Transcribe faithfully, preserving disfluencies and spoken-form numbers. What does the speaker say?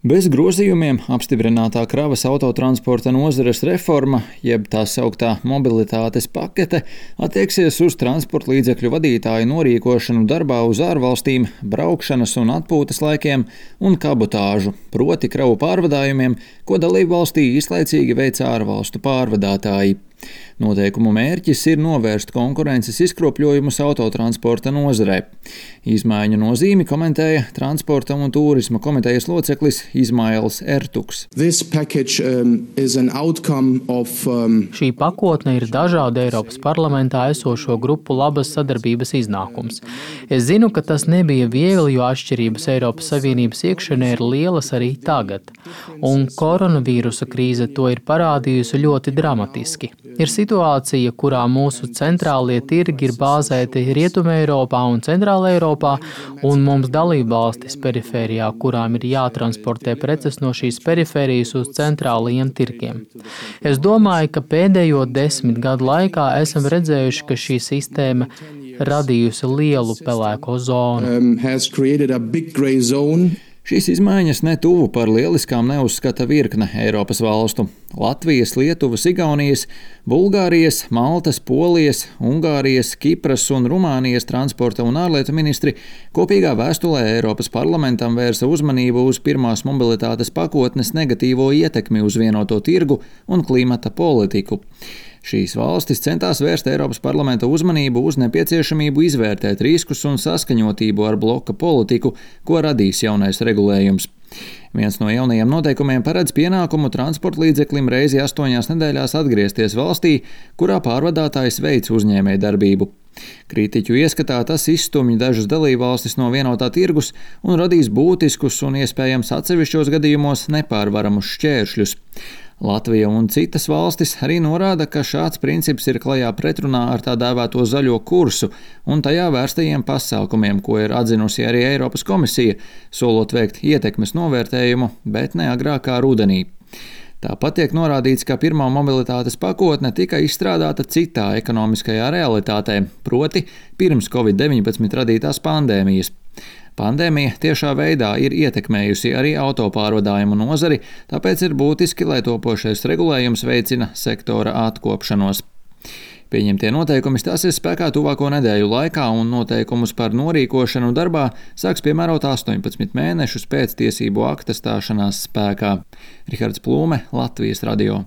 Bez grozījumiem apstiprinātā kravas autotransporta nozares reforma, jeb tā sauktā mobilitātes pakete, attieksies uz transporta līdzekļu vadītāju norīkošanu darbā uz ārvalstīm, braukšanas un atpūtas laikiem un kabotāžu, proti kravu pārvadājumiem, ko dalībvalstī īslaicīgi veic ārvalstu pārvadātāji. Noteikumu mērķis ir novērst konkurences izkropļojumus autotransporta nozarē. Izmaiņu nozīmi komentēja Transporta un tūrisma komitejas loceklis Izmails Ertuks. Package, um, of, um... Šī pakotne ir dažādu Eiropas parlamentā esošo grupu labas sadarbības iznākums. Es zinu, ka tas nebija viegli, jo atšķirības Eiropas Savienības iekšienē ir lielas arī tagad. Un koronavīrusa krīze to ir parādījusi ļoti dramatiski. Ir situācija, kurā mūsu centrālie tirgi ir bāzēti Rietumē Eiropā un Centrāla Eiropā, un mums dalībvalstis perifērijā, kurām ir jātransportē preces no šīs perifērijas uz centrālajiem tirgiem. Es domāju, ka pēdējo desmit gadu laikā esam redzējuši, ka šī sistēma radījusi lielu pelēko zonu. Um, Šīs izmaiņas netuvu par lieliskām neuzskata virkne Eiropas valstu – Latvijas, Lietuvas, Igaunijas, Bulgārijas, Maltas, Polijas, Ungārijas, Kipras un Rumānijas transporta un ārlietu ministri kopīgā vēstulē Eiropas parlamentam vērsa uzmanību uz pirmās mobilitātes pakotnes negatīvo ietekmi uz vienoto tirgu un klimata politiku. Šīs valstis centās vērst Eiropas parlamenta uzmanību uz nepieciešamību izvērtēt riskus un saskaņotību ar bloka politiku, ko radīs jaunais regulējums. Viens no jaunajiem noteikumiem paredz pienākumu transporta līdzeklim reizi astoņās nedēļās atgriezties valstī, kurā pārvadātājs veic uzņēmēju darbību. Kritiķu ieskatā tas izstumj dažas dalībvalstis no vienotā tirgus un radīs būtiskus un iespējams atsevišķos gadījumos nepārvaramus šķēršļus. Latvija un citas valstis arī norāda, ka šāds princips ir klajā pretrunā ar tā dēvēto zaļo kursu un tajā vērstajiem pasākumiem, ko ir atzinusi arī Eiropas komisija, solot veikt ietekmes novērtējumu, bet ne agrākā rudenī. Tāpat tiek norādīts, ka pirmā mobilitātes pakotne tika izstrādāta citā ekonomiskajā realitātē, proti pirms covid deviņpadsmit radītās pandēmijas. Pandēmija tiešā veidā ir ietekmējusi arī autopārvadājumu nozari, tāpēc ir būtiski, lai topošais regulējums veicina sektora atkopšanos. Pieņemtie noteikumi stāsies spēkā tuvāko nedēļu laikā, un noteikumus par norīkošanu darbā sāks piemērot astoņpadsmit mēnešus pēc tiesību akta stāšanās spēkā. Rihards Plūme, Latvijas radio.